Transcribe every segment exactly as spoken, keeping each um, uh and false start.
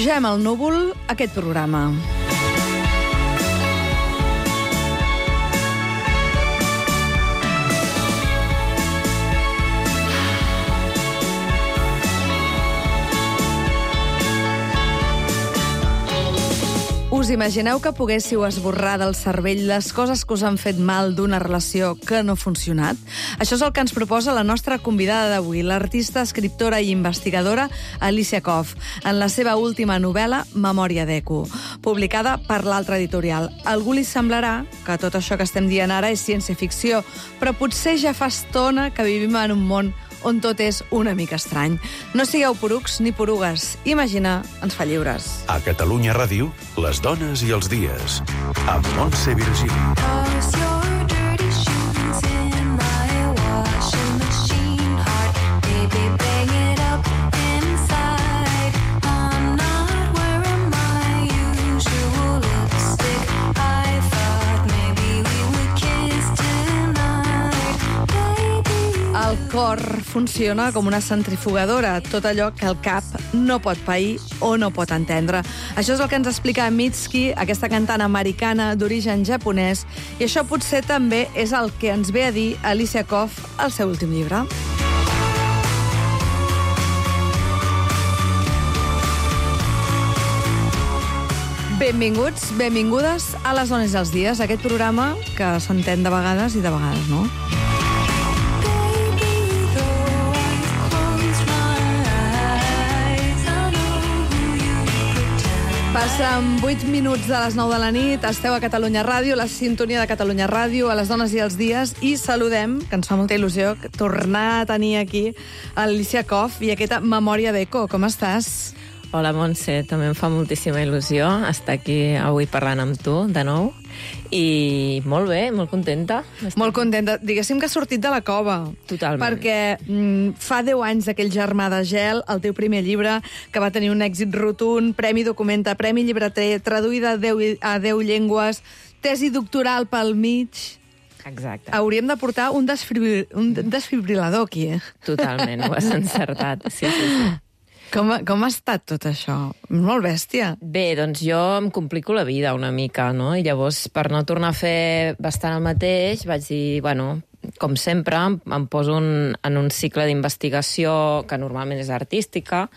Pugem al núvol aquest programa. Us imagineu que poguéssiu esborrar del cervell les coses que us han fet mal d'una relació que no ha funcionat? Això és el que ens proposa la nostra convidada d'avui, l'artista, escriptora i investigadora Alicia Koff, en la seva última novel·la, Memòria d'Eco, publicada per l'altra editorial. A algú li semblarà que tot això que estem dient ara és ciència-ficció, però potser ja fa estona que vivim en un món on tot és una mica estrany. No sigueu porucs ni porugues. Imaginar ens fa lliures. A Catalunya Ràdio, les dones i els dies. Amb Montse Virgili. El cor funciona com una centrifugadora, tot allò que el cap no pot pair o no pot entendre. Això és el que ens explica Mitski, aquesta cantant americana d'origen japonès, i això potser també és el que ens ve a dir Alicia Koff al seu últim llibre. Benvinguts, benvingudes a Les dones dels dies, aquest programa que s'entén de vegades i de vegades no. Passen vuit minuts de les nou de la nit, esteu a Catalunya Ràdio, la sintonia de Catalunya Ràdio, a les dones i els dies, i saludem, que ens fa molta il·lusió, tornar a tenir aquí Alicia Koff i aquesta Memòria d'Eco. Com estàs? Hola, Montse, també em fa moltíssima il·lusió estar aquí avui parlant amb tu, de nou, i molt bé, molt contenta. Molt contenta. Diguéssim que has sortit de la cova. Totalment. Perquè mm, fa deu anys d'aquell Germà de gel, el teu primer llibre, que va tenir un èxit rotund, Premi Documenta, Premi Llibreter, traduïda a deu, a deu llengües, tesi doctoral pel mig. Exacte. Hauríem de portar un, desfibril, un desfibrilador aquí, eh? Totalment, ho has encertat. Sí, sí, sí. Com, com ha estat tot això? Molt bèstia. Bé, doncs jo em complico la vida una mica, no? I llavors, per no tornar a fer bastant el mateix, vaig dir, bueno, com sempre, em poso un, en un cicle d'investigació que normalment és artística,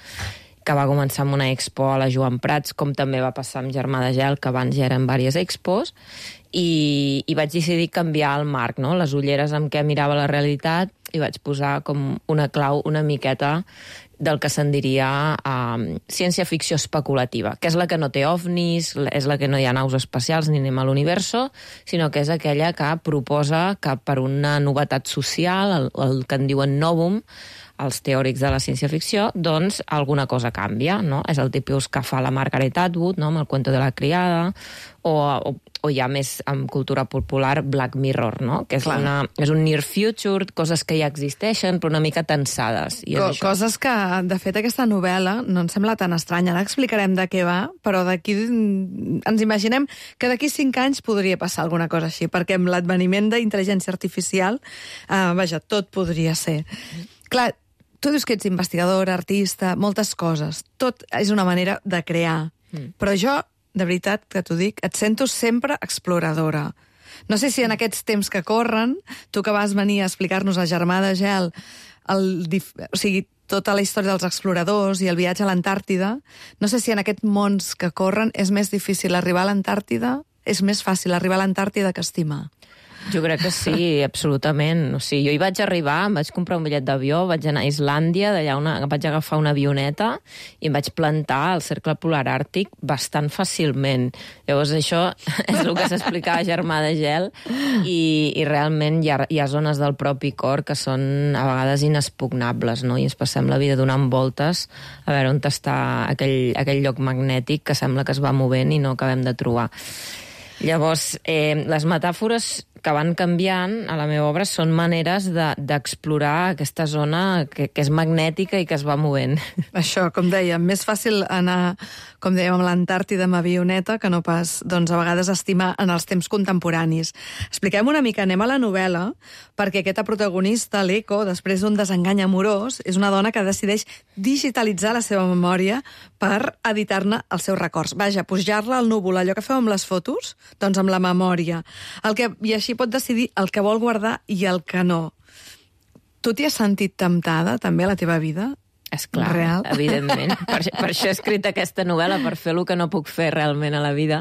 que va començar amb una expo a la Joan Prats, com també va passar amb Germà de Gel, que abans ja eren diverses expos, i, i vaig decidir canviar el marc, no? Les ulleres amb què mirava la realitat, i vaig posar com una clau una miqueta del que se'n diria um, ciència-ficció especulativa, que és la que no té ovnis, és la que no hi ha naus espacials ni anem a l'universo, sinó que és aquella que proposa que per una novetat social, el, el que en diuen novum, els teòrics de la ciència-ficció, doncs alguna cosa canvia, no? És el tipus que fa la Margaret Atwood, no? Amb el cuento de la criada, o, o, o ja més en cultura popular Black Mirror, no? Que és, una, és un near future, coses que ja existeixen, però una mica tensades. I Co és això. Coses que, de fet, aquesta novel·la no ens sembla tan estranya. Ara explicarem de què va, però d'aquí ens imaginem que d'aquí cinc anys podria passar alguna cosa així, perquè amb l'adveniment d'intel·ligència artificial, eh, vaja, tot podria ser. Clar, tu dius que ets investigadora, artista, moltes coses. Tot és una manera de crear. Mm. Però jo, de veritat, que t'ho dic, et sento sempre exploradora. No sé si en aquests temps que corren, tu que vas venir a explicar-nos a Germà de Gel, el, o sigui, tota la història dels exploradors i el viatge a l'Antàrtida, no sé si en aquests mons que corren és més difícil arribar a l'Antàrtida, és més fàcil arribar a l'Antàrtida que estimar. Jo crec que sí, absolutament. O sigui, jo hi vaig arribar, em vaig comprar un bitllet d'avió, vaig anar a Islàndia, d'allà una, vaig agafar una avioneta i em vaig plantar al Cercle Polar Àrtic bastant fàcilment. Llavors això és el que s'explicava a Germà de Gel i, i realment hi ha, hi ha zones del propi cor que són a vegades inexpugnables, no? I ens passem la vida donant voltes a veure on està aquell, aquell lloc magnètic que sembla que es va movent i no acabem de trobar. Llavors, eh, les metàfores que van canviant a la meva obra són maneres d'explorar de, aquesta zona que, que és magnètica i que es va movent. Això, com dèiem, més fàcil anar, com dèiem, a l'Antàrtida amb avioneta que no pas, doncs, a vegades estimar en els temps contemporanis. Expliquem una mica, anem a la novel·la, perquè aquesta protagonista, l'Eco, després d'un desengany amorós, és una dona que decideix digitalitzar la seva memòria per editar-ne els seus records. Vaja, pujar-la al núvol, allò que feu amb les fotos, doncs amb la memòria. El que, i així pot decidir el que vol guardar i el que no. Tu t'hi has sentit temptada, també, a la teva vida? És clar, real? Evidentment. Per, per això he escrit aquesta novel·la, per fer el que no puc fer realment a la vida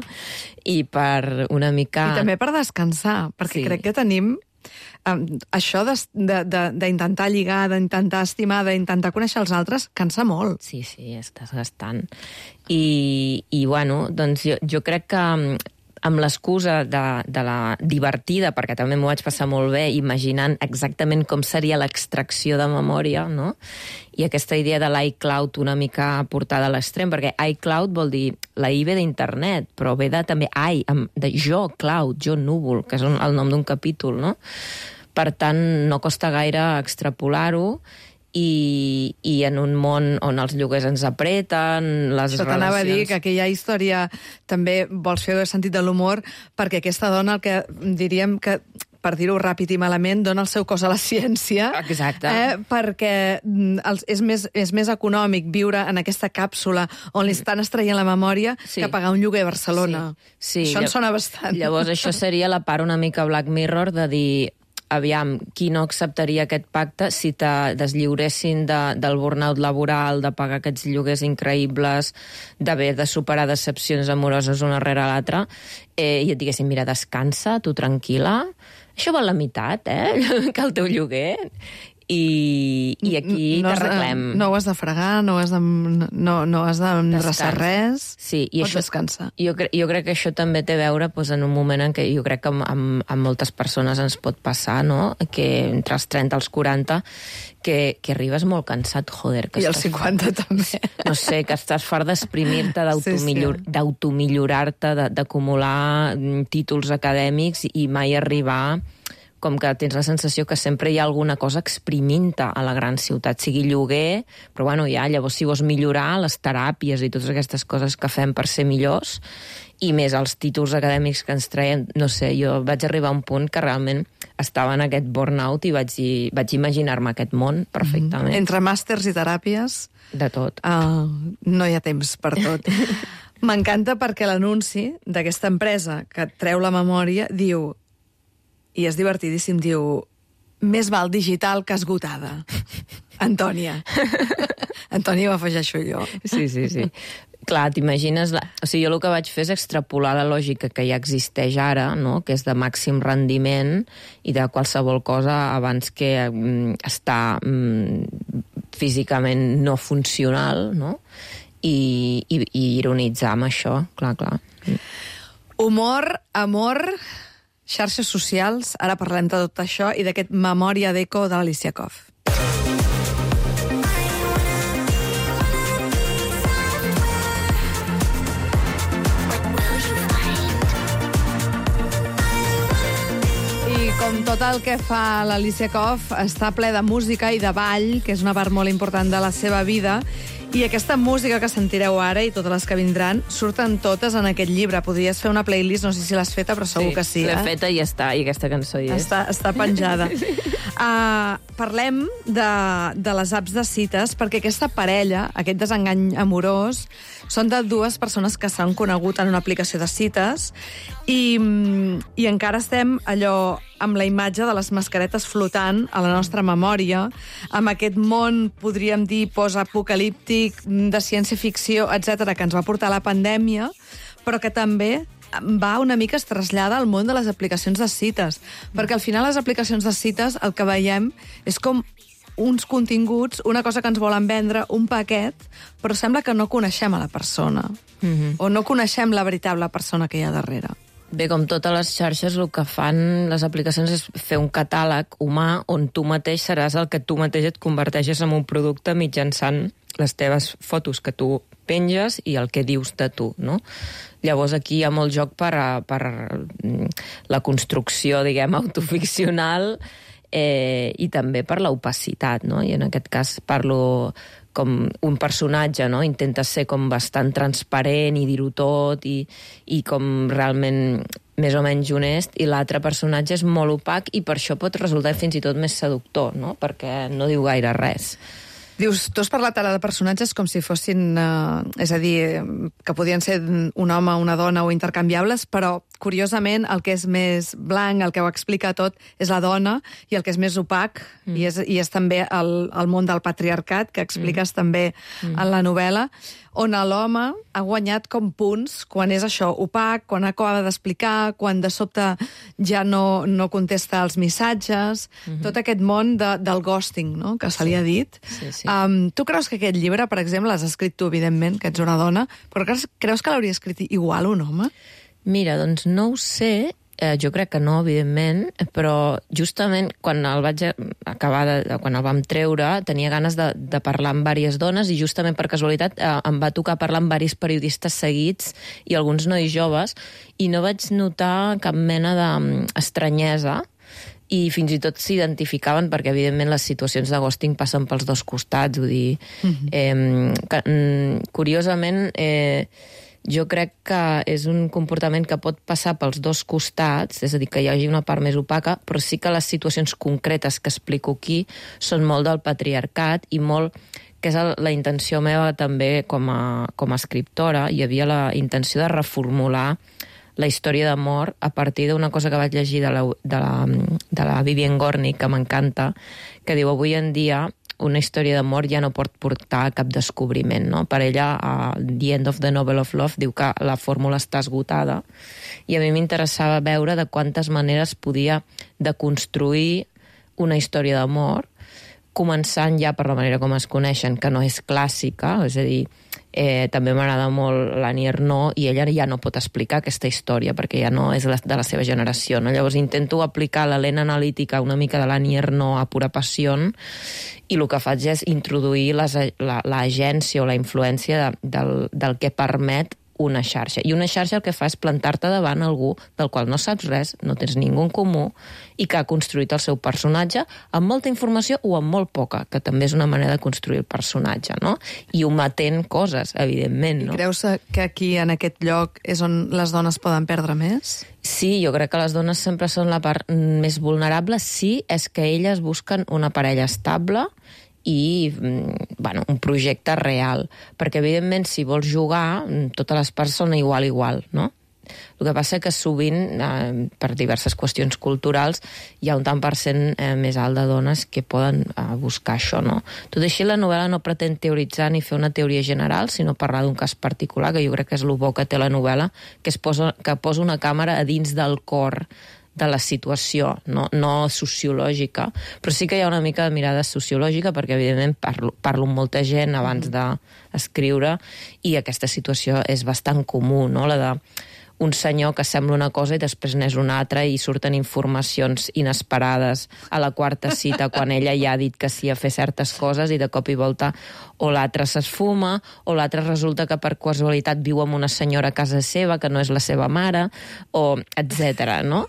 i per una mica... I també per descansar, perquè sí. crec que tenim um, això d'intentar lligar, d'intentar estimar, d'intentar conèixer els altres, cansa molt. Sí, sí, és desgastant. I, i bueno, doncs jo, jo crec que amb l'excusa de, de la divertida, perquè també m'ho vaig passar molt bé, imaginant exactament com seria l'extracció de memòria, no? I aquesta idea de l'iCloud una mica portada a l'extrem, perquè iCloud vol dir la I ve d'internet, però ve de també I, de jo, cloud, jo núvol, que és un, el nom d'un capítol, no? Per tant, no costa gaire extrapolar-ho, I, i en un món on els lloguers ens apreten, les Això relacions... t'anava a dir que aquella història també vols fer el sentit de l'humor, perquè aquesta dona, el que diríem que, per dir-ho ràpid i malament, dona el seu cos a la ciència. Exacte. Eh, perquè els, és, més, és més econòmic viure en aquesta càpsula on li estan extraient la memòria sí. que pagar un lloguer a Barcelona. Sí. Sí. Això ens sona bastant. Llavors, això seria la part una mica Black Mirror de dir... aviam, qui no acceptaria aquest pacte si te deslliuressin de, del burnout laboral, de pagar aquests lloguers increïbles, d'haver de superar decepcions amoroses una rere l'altra, eh, i et diguessin, mira, descansa, tu tranquil·la, això val la meitat, eh, que el teu lloguer, i, i aquí no t'arreglem. No ho has de fregar, no has de, no, no has d'endreçar res, sí, i pots això, descansar. Jo, cre jo crec que això també té a veure doncs, en un moment en què jo crec que amb, amb, amb moltes persones ens pot passar, no? Que entre els trenta i els quaranta, que, que arribes molt cansat, joder. Que I els cinquanta també. No sé, que estàs fart d'exprimir-te, d'automillorar-te, sí, sí. d'acumular títols acadèmics i mai arribar... com que tens la sensació que sempre hi ha alguna cosa exprimint-te a la gran ciutat, sigui lloguer, però bueno, ja, llavors si vols millorar les teràpies i totes aquestes coses que fem per ser millors, i més els títols acadèmics que ens traiem, no sé, jo vaig arribar a un punt que realment estava en aquest burnout i vaig, vaig imaginar-me aquest món perfectament. Mm-hmm. Entre màsters i teràpies... De tot. Uh, no hi ha temps per tot. M'encanta perquè l'anunci d'aquesta empresa que et treu la memòria diu... i és divertidíssim, diu, més val digital que esgotada. Antònia. Antònia ho afegeixo jo. Sí, sí, sí. Clar, t'imagines... La... O sigui, jo el que vaig fer és extrapolar la lògica que ja existeix ara, no? Que és de màxim rendiment i de qualsevol cosa abans que mm, està mm, físicament no funcional, no? I, i, i ironitzar amb això, clar, clar. Humor, amor... xarxes socials, ara parlem de tot això i d'aquest Memòria d'Eco de l'Alicia Koff. I com tot el que fa l'Alicia Koff, està ple de música i de ball, que és una part molt important de la seva vida, i aquesta música que sentireu ara i totes les que vindran surten totes en aquest llibre. Podries fer una playlist, no sé si l'has feta, però segur sí, que sí. L'he eh? feta i ja està, i aquesta cançó hi és. Està, està penjada. uh, parlem de, de les apps de cites, perquè aquesta parella, aquest desengany amorós, són de dues persones que s'han conegut en una aplicació de cites i, i encara estem allò amb la imatge de les mascaretes flotant a la nostra memòria, amb aquest món, podríem dir, post-apocalíptic, de ciència-ficció, etcètera, que ens va portar la pandèmia, però que també va una mica es trasllada al món de les aplicacions de cites, perquè al final les aplicacions de cites el que veiem és com uns continguts, una cosa que ens volen vendre, un paquet, però sembla que no coneixem a la persona, mm-hmm. o no coneixem la veritable persona que hi ha darrere. Bé, com totes les xarxes, el que fan les aplicacions és fer un catàleg humà on tu mateix seràs el que tu mateix et converteixes en un producte mitjançant les teves fotos que tu penges i el que dius de tu, no? Llavors aquí hi ha molt joc per, a, per la construcció, diguem, autoficcional eh, i també per l'opacitat, no? I en aquest cas parlo com un personatge, no? Intenta ser com bastant transparent i dir-ho tot i, i com realment més o menys honest, i l'altre personatge és molt opac i per això pot resultar fins i tot més seductor, no? Perquè no diu gaire res. Dius, tu has parlat ara de personatges com si fossin, eh, és a dir, que podien ser un home, una dona o intercanviables, però, curiosament, el que és més blanc, el que ho explica tot, és la dona, i el que és més opac, mm. i, és, i és també el, el món del patriarcat, que expliques mm. també mm. en la novel·la, on l'home ha guanyat com punts quan és això, opac, quan acaba d'explicar, quan de sobte ja no, no contesta els missatges, mm-hmm. tot aquest món de, del ghosting, no?, que se li ha dit. Sí, sí. Um, tu creus que aquest llibre, per exemple, l'has escrit tu, evidentment, que ets una dona, però creus, creus que l'hauria escrit igual un home? Mira, doncs no ho sé, eh, jo crec que no, evidentment, però justament quan el vaig acabar, de, quan el vam treure, tenia ganes de, de parlar amb diverses dones i justament per casualitat eh, em va tocar parlar amb diversos periodistes seguits i alguns nois joves i no vaig notar cap mena d'estranyesa i fins i tot s'identificaven perquè, evidentment, les situacions de ghosting passen pels dos costats, vull dir... Mm-hmm. eh, que, mm, curiosament, eh, jo crec que és un comportament que pot passar pels dos costats, és a dir, que hi hagi una part més opaca, però sí que les situacions concretes que explico aquí són molt del patriarcat i molt... que és la intenció meva també com a, com a escriptora. Hi havia la intenció de reformular la història d'amor a partir d'una cosa que vaig llegir de la, de la, de la Vivian Gornick, que m'encanta, que diu, avui en dia una història d'amor ja no pot portar cap descobriment, no? Per ella, a The End of the Novel of Love, diu que la fórmula està esgotada, i a mi m'interessava veure de quantes maneres podia deconstruir una història d'amor, començant ja per la manera com es coneixen, que no és clàssica, és a dir, eh, també m'agrada molt l'Annie Ernaux, i ella ja no pot explicar aquesta història, perquè ja no és de la seva generació, no? Llavors intento aplicar la lent analítica una mica de l'Annie Ernaux a Pura Passió, i el que faig és introduir l'agència o la influència de, del, del que permet una xarxa. I una xarxa el que fa és plantar-te davant algú del qual no saps res, no tens ningú en comú, i que ha construït el seu personatge amb molta informació o amb molt poca, que també és una manera de construir el personatge, no? I ometent coses, evidentment, no? I creus que aquí, en aquest lloc, és on les dones poden perdre més? Sí, jo crec que les dones sempre són la part més vulnerable, sí, és que elles busquen una parella estable i, bueno, un projecte real. Perquè, evidentment, si vols jugar, totes les parts són igual, igual, no? El que passa que sovint, eh, per diverses qüestions culturals, hi ha un tant per cent eh, més alt de dones que poden eh, buscar això, no? Tot així, la novel·la no pretén teoritzar ni fer una teoria general, sinó parlar d'un cas particular, que jo crec que és el bo que té la novel·la, que, es posa, que posa una càmera a dins del cor de la situació, no, no sociològica, però sí que hi ha una mica de mirada sociològica, perquè evidentment parlo, parlo amb molta gent abans d'escriure, i aquesta situació és bastant comú, no? La de un senyor que sembla una cosa i després n'és una altra i surten informacions inesperades a la quarta cita quan ella ja ha dit que sí a fer certes coses i de cop i volta o l'altre s'esfuma o l'altre resulta que per casualitat viu amb una senyora a casa seva que no és la seva mare, o etcètera, no?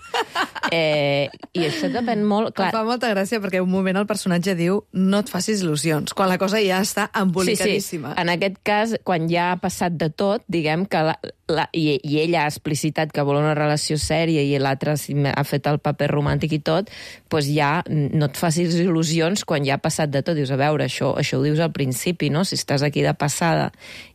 Eh, I això depèn molt... Clar... Em fa molta gràcia perquè un moment el personatge diu no et facis il·lusions, quan la cosa ja està embolicadíssima. Sí, sí. En aquest cas, quan ja ha passat de tot, diguem que la, la, i, i ella ha explicitat que vol una relació sèria i l'altre ha fet el paper romàntic i tot, doncs ja no et facis il·lusions quan ja ha passat de tot. Dius, a veure, això, això ho dius al principi, no? Si estàs aquí de passada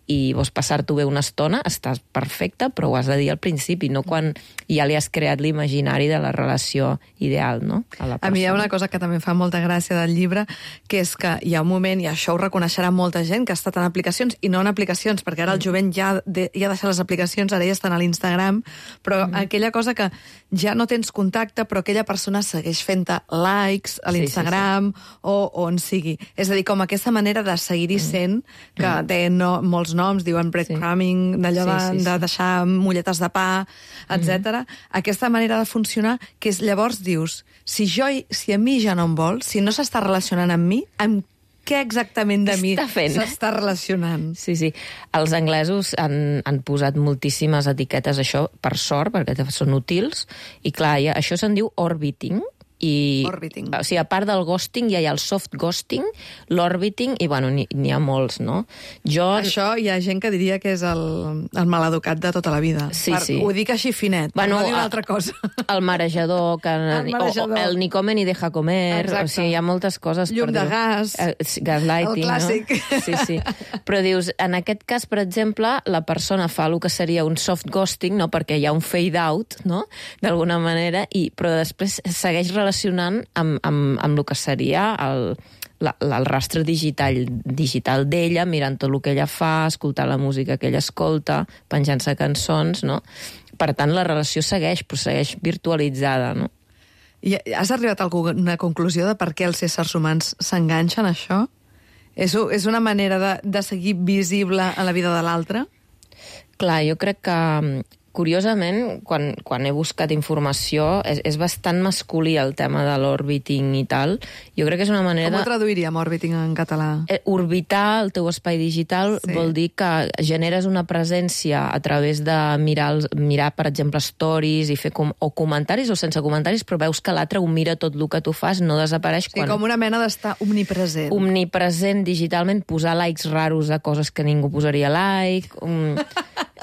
i vols passar-t'ho bé una estona, estàs perfecte, però ho has de dir al principi, no quan ja li has creat l'imaginari de la relació ideal, no? A, la a mi hi ha una cosa que també fa molta gràcia del llibre, que és que hi ha un moment, i això ho reconeixerà molta gent, que ha estat en aplicacions i no en aplicacions, perquè ara el jovent ja, de, ja ha deixat les aplicacions, ara ja estan a l'Instagram, però mm. aquella cosa que ja no tens contacte, però aquella persona segueix fent-te likes a l'Instagram, sí, sí, sí. o on sigui. És a dir, com aquesta manera de seguir-hi sent, que mm. té no, molts noms, diuen breadcrumbing, sí. d'allò sí, de, sí, sí. de deixar molletes de pa, etcètera. Mm-hmm. Aquesta manera de funcionar, que és, llavors dius, si, jo, si a mi ja no em vol, si no s'està relacionant amb mi, amb què exactament de mi s'està relacionant. Sí, sí. Els anglesos han, han posat moltíssimes etiquetes, això, per sort, perquè són útils, i clar, ja, això se'n diu orbiting, i, orbiting. O sigui, a part del ghosting, ja hi ha el soft ghosting, l'orbiting, i bueno, n'hi ha molts, no? Jo... Això hi ha gent que diria que és el, el maleducat de tota la vida. Sí, per, sí. Ho dic així finet, bueno, per no dir una altra cosa. El marejador, que, el marejador. O, o el ni come ni deja comer. Exacte. O sigui, hi ha moltes coses. Llum per de dir. gas. Eh, gaslighting, el clàssic. No? Sí, sí. Però dius, en aquest cas, per exemple, la persona fa el que seria un soft ghosting, no? Perquè hi ha un fade out, no? D'alguna manera, i, però després segueix relacionant amb Amb, amb, amb el que seria el, la, el rastre digital, digital d'ella, mirant tot el que ella fa, escoltar la música que ella escolta, penjant-se cançons, no? Per tant, la relació segueix, però segueix virtualitzada, no? I has arribat a una conclusió de per què els éssers humans s'enganxen a això? És, és una manera de, de seguir visible en la vida de l'altre? Clar, jo crec que... Curiosament, quan, quan he buscat informació, és, és bastant masculí el tema de l'orbiting i tal. Jo crec que és una manera... Com ho de... traduiríem, orbiting, en català? Eh, orbitar el teu espai digital sí. Vol dir que generes una presència a través de mirar, mirar per exemple, stories i fer com, o comentaris o sense comentaris, però veus que l'altre ho mira tot el que tu fas, no desapareix. Sí, quan... com una mena d'estar omnipresent. Omnipresent digitalment, posar likes raros a coses que ningú posaria like... Um...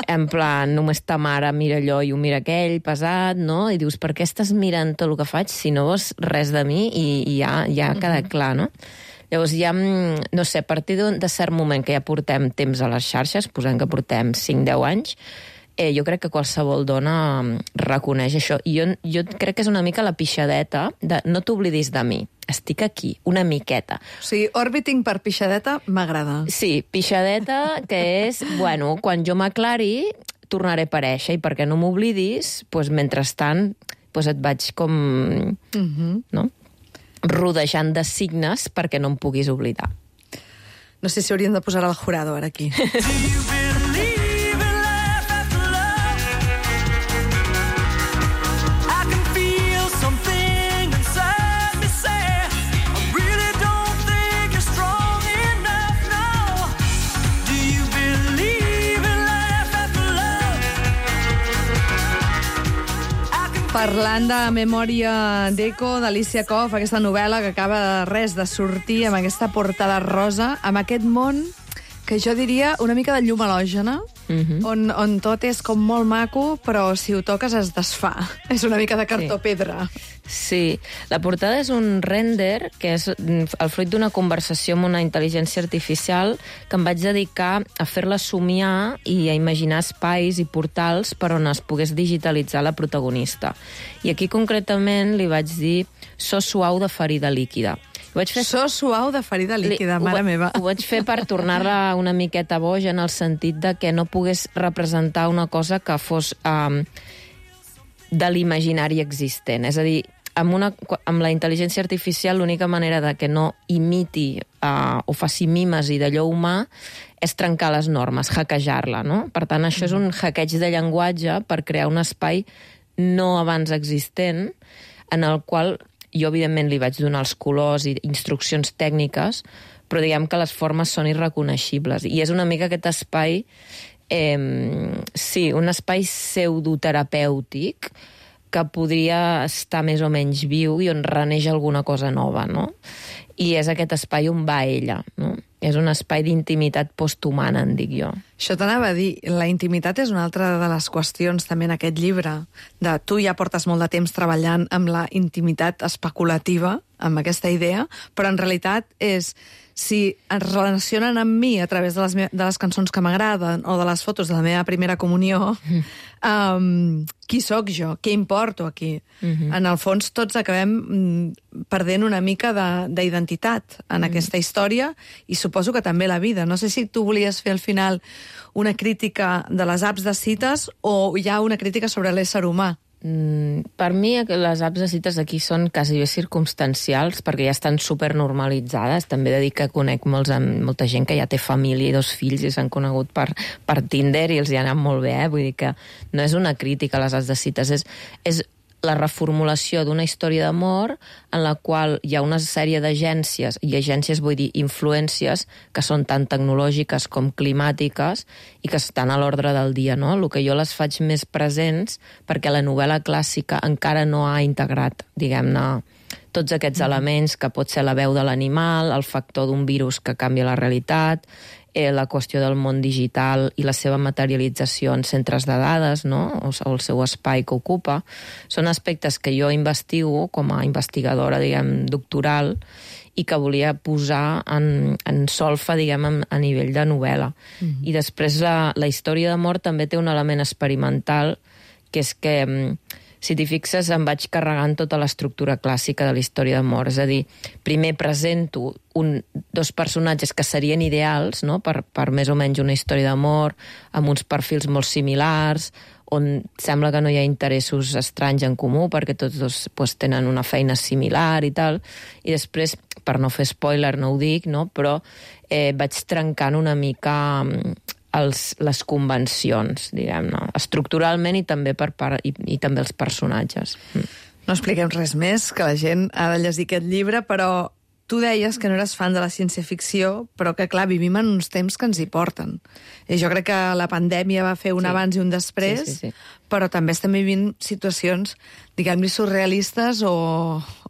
En plan, només ta mare mira allò i ho mira aquell, pesat, no? I dius, per què estàs mirant tot el que faig si no vols res de mi? I, i ja, ja ha quedat clar, no? Llavors ja, no sé, a partir de cert moment que ja portem temps a les xarxes, posem que portem cinc deu anys, eh, jo crec que qualsevol dona reconeix això. I jo, jo crec que és una mica la pixadeta de no t'oblidis de mi. Estic aquí, una miqueta. O sigui, orbiting per pixadeta m'agrada. Sí, pixadeta, que és, bueno, quan jo m'aclari, tornaré a aparèixer, i perquè no m'oblidis, doncs, mentrestant, doncs et vaig com... Uh-huh. No? Rodejant de signes perquè no em puguis oblidar. No sé si hauríem de posar el jurado ara aquí. Parlant de Memòria d'Eco, d'Alicia Koff, aquesta novel·la que acaba de res de sortir amb aquesta portada rosa, amb aquest món que jo diria una mica de llum halògena, uh-huh. on, on tot és com molt maco, però si ho toques es desfà. És una mica de cartó-pedra. Sí, la portada és un render que és el fruit d'una conversació amb una intel·ligència artificial que em vaig dedicar a fer-la somiar i a imaginar espais i portals per on es pogués digitalitzar la protagonista. I aquí concretament li vaig dir so suau de ferida líquida. Vaig fer... So suau de ferida líquida, mare ho, meva. Ho vaig fer per tornar-la una miqueta boja en el sentit de que no pogués representar una cosa que fos um, de l'imaginari existent. És a dir, amb, una, amb la intel·ligència artificial l'única manera de que no imiti uh, o faci mimesi d'allò humà és trencar les normes, hackejar-la, no? Per tant, això és un hackeig de llenguatge per crear un espai no abans existent en el qual... Jo, evidentment, li vaig donar els colors i instruccions tècniques, però diguem que les formes són irreconeixibles. I és una mica aquest espai, eh, sí, un espai pseudoterapèutic que podria estar més o menys viu i on reneix alguna cosa nova, no? I és aquest espai on va ella, no? És un espai d'intimitat posthumana, en dic jo. Això t'anava a dir, la intimitat és una altra de les qüestions també en aquest llibre, de tu ja portes molt de temps treballant amb la intimitat especulativa, amb aquesta idea, però en realitat és si es relacionen amb mi a través de les, de les cançons que m'agraden o de les fotos de la meva primera comunió, mm. um, qui sóc jo? Què importo aquí? Mm-hmm. En el fons, tots acabem mm, perdent una mica d'identitat en mm. aquesta història i suposo que també la vida. No sé si tu volies fer al final una crítica de les apps de cites o hi ha una crítica sobre l'ésser humà. Mm, per mi les apps de cites aquí són quasi bé circumstancials perquè ja estan supernormalitzades. També he de dir que conec molts, molta gent que ja té família i dos fills i s'han conegut per, per Tinder i els hi ha anat molt bé, eh? Vull dir que no és una crítica a les apps de cites, és, és la reformulació d'una història d'amor en la qual hi ha una sèrie d'agències, i agències vull dir influències, que són tant tecnològiques com climàtiques i que estan a l'ordre del dia, no? El que jo les faig més presents perquè la novel·la clàssica encara no ha integrat, diguem-ne, tots aquests elements, que pot ser la veu de l'animal, el factor d'un virus que canvia la realitat, eh, la qüestió del món digital i la seva materialització en centres de dades, no? o, o el seu espai que ocupa. Són aspectes que jo investigo com a investigadora, diguem, doctoral, i que volia posar en, en solfa, diguem, a nivell de novel·la. Mm-hmm. I després la, la història d'amor també té un element experimental, que és que, si t'hi fixes, em vaig carregant tota l'estructura clàssica de la història d'amor. És a dir, primer presento un, dos personatges que serien ideals, no?, per, per més o menys una història d'amor, amb uns perfils molt similars, on sembla que no hi ha interessos estranys en comú, perquè tots dos pues, tenen una feina similar i tal, i després, per no fer spoiler, no ho dic, no?, però eh, vaig trencant una mica els, les convencions, diguem-ne, estructuralment i també per part, i, i també els personatges. No expliquem res més, que la gent ha de llegir aquest llibre, però tu deies que no eres fan de la ciència-ficció, però que, clar, vivim en uns temps que ens hi porten. I jo crec que la pandèmia va fer un sí. abans i un després, sí, sí, sí. però també estem vivint situacions, diguem-li, surrealistes o,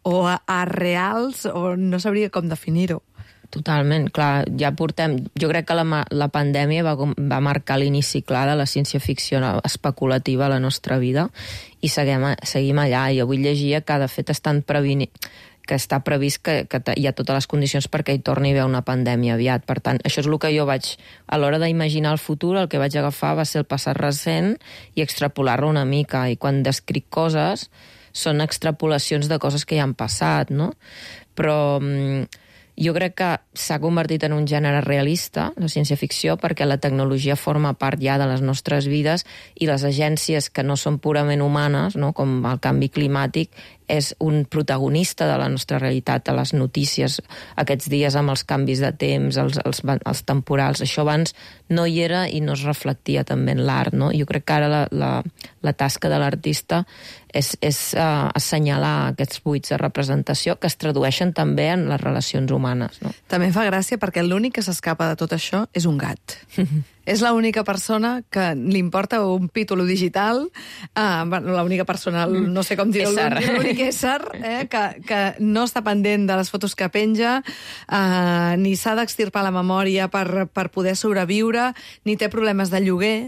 o arreals, o no sabria com definir-ho. Totalment, clar, ja portem... Jo crec que la, la pandèmia va, va marcar l'inici clar de la ciència-ficció especulativa a la nostra vida i seguim, seguim allà. Jo avui llegia que, de fet, estan previni... que està previst que, que hi ha totes les condicions perquè hi torni a haver una pandèmia aviat. Per tant, això és el que jo vaig... A l'hora d'imaginar el futur, el que vaig agafar va ser el passat recent i extrapolar-lo una mica. I quan descric coses, són extrapolacions de coses que ja han passat, no? Però... jo crec que s'ha convertit en un gènere realista, la ciència-ficció, perquè la tecnologia forma part ja de les nostres vides i les agències que no són purament humanes, no? Com el canvi climàtic, és un protagonista de la nostra realitat, a les notícies aquests dies amb els canvis de temps, els, els, els temporals. Això abans no hi era i no es reflectia també en l'art, no? Jo crec que ara la, la, la tasca de l'artista és, és uh, assenyalar aquests buits de representació que es tradueixen també en les relacions humanes, no? També fa gràcia perquè l'únic que s'escapa de tot això és un gat. És l'única persona que li importa un pítolo digital, uh, l'única persona, no sé com dir-ho, l'únic ésser, eh, que, que no està pendent de les fotos que penja, uh, ni s'ha d'extirpar la memòria per, per poder sobreviure, ni té problemes de lloguer.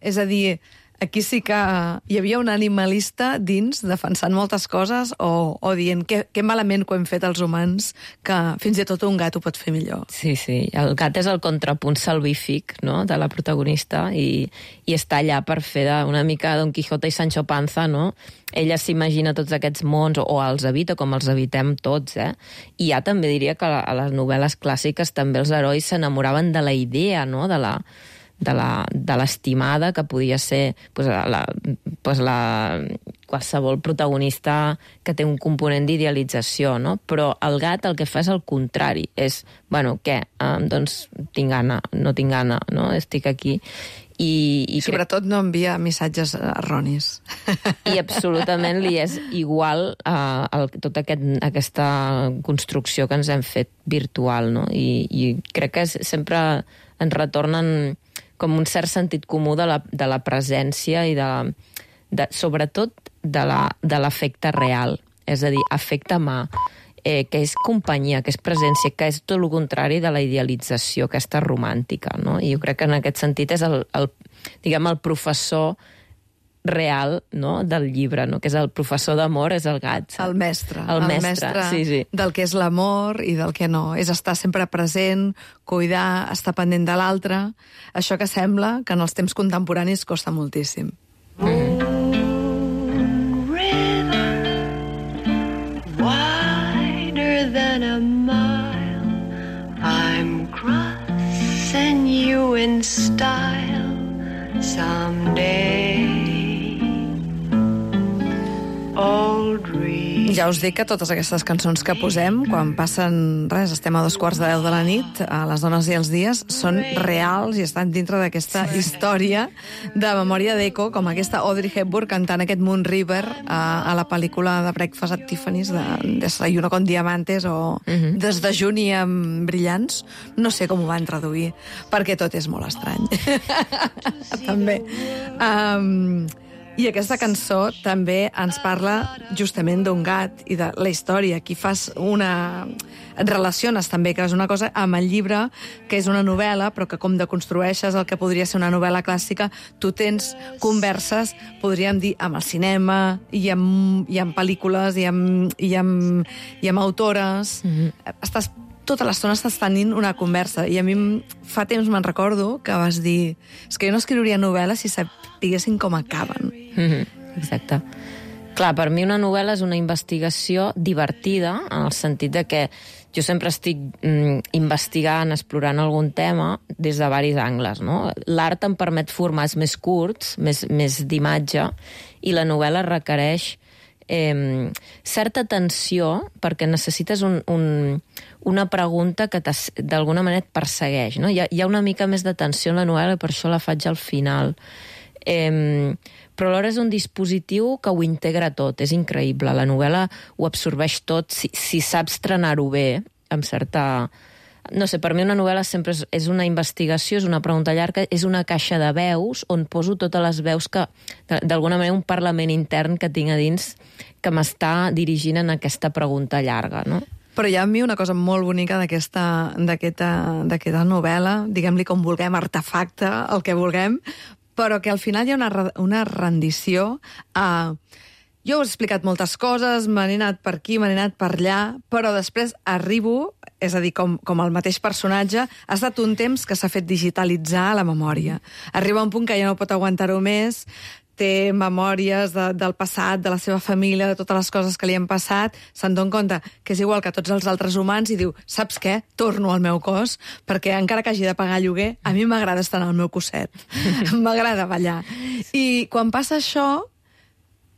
És a dir, aquí sí que hi havia un animalista dins defensant moltes coses o, o dient que, que malament que ho hem fet els humans, que fins i tot un gat ho pot fer millor. Sí, sí. El gat és el contrapunt salvífic, no?, de la protagonista i, i està allà per fer de, una mica Don Quijote i Sancho Panza, no? Ella s'imagina tots aquests mons o, o els habita com els habitem tots, eh? I ja també diria que a les novel·les clàssiques també els herois s'enamoraven de la idea, no?, de la de la, de l'estimada que podia ser pues, la, pues, la, qualsevol protagonista que té un component d'idealització, no? Però el gat el que fa és el contrari, és, bueno, què? Um, doncs tinc gana, no tinc gana, no? Estic aquí. I, i sobretot no envia missatges erronis. I absolutament li és igual a, a tota aquest, aquesta construcció que ens hem fet virtual, no? I, i crec que és, sempre ens retornen com un cert sentit comú de la, de la presència i de, de sobretot de l'afecte real, és a dir, afecte mà, eh, que és companyia, que és presència, que és tot el contrari de la idealització, aquesta romàntica, no? I jo crec que en aquest sentit és el, el, diguem, el professor real, no?, del llibre, no?, que és el professor d'amor, és el gat. El mestre. El, el mestre, mestre sí, sí. Del que és l'amor i del que no. És estar sempre present, cuidar, estar pendent de l'altre. Això que sembla que en els temps contemporanis costa moltíssim. Mm. Wider than a mile, I'm crossing you in style someday. Ja us dic que totes aquestes cançons que posem, quan passen, res, estem a dos quarts de deu de la nit, a Les dones i els dies, són reals i estan dintre d'aquesta història de memòria d'Eco, com aquesta Audrey Hepburn cantant aquest Moon River a, a la pel·lícula de Breakfast at Tiffany's, de Desayuno con diamantes o uh-huh. Desdejuni amb brillants. No sé com ho van traduir, perquè tot és molt estrany. També. Um, I aquesta cançó també ens parla justament d'un gat i de la història. Aquí fas una... Et relaciones també, que és una cosa amb el llibre, que és una novel·la, però que com deconstrueixes el que podria ser una novel·la clàssica, tu tens converses, podríem dir, amb el cinema, i amb, i amb pel·lícules, i amb, i amb, i amb autores. Mm-hmm. Estàs tota l'estona estàs tenint una conversa. I a mi fa temps me'n recordo que vas dir és que jo no escriuria novel·les si sapiguessin com acaben. Mm-hmm. Exacte. Clar, per mi una novel·la és una investigació divertida, en el sentit de que jo sempre estic mm, investigant, explorant algun tema des de diversos angles, no? L'art em permet formats més curts, més, més d'imatge, i la novel·la requereix eh, certa tensió, perquè necessites un, un, una pregunta que d'alguna manera et persegueix, no? Hi ha, hi ha una mica més de tensió en la novel·la i per això la faig al final. Eh, però alhora és un dispositiu que ho integra tot, és increïble. La novel·la ho absorbeix tot si, si saps trenar-ho bé, amb certa... No sé, per mi una novel·la sempre és, és una investigació, és una pregunta llarga, és una caixa de veus on poso totes les veus que, d'alguna manera, un parlament intern que tinc a dins que m'està dirigint en aquesta pregunta llarga, no? Però hi ha a mi una cosa molt bonica d'aquesta d'aquesta novel·la, diguem-li com vulguem, artefacte, el que vulguem, però que al final hi ha una, una rendició a... Jo us he explicat moltes coses, me n'he anat per aquí, me n'he anat per allà, però després arribo, és a dir, com, com el mateix personatge, ha estat un temps que s'ha fet digitalitzar la memòria. Arriba un punt que ja no pot aguantar-ho més, té memòries de, del passat, de la seva família, de totes les coses que li han passat, se'n dona compte que és igual que tots els altres humans i diu, saps què? Torno al meu cos, perquè encara que hagi de pagar lloguer, a mi m'agrada estar en el meu cosset. M'agrada ballar. I quan passa això,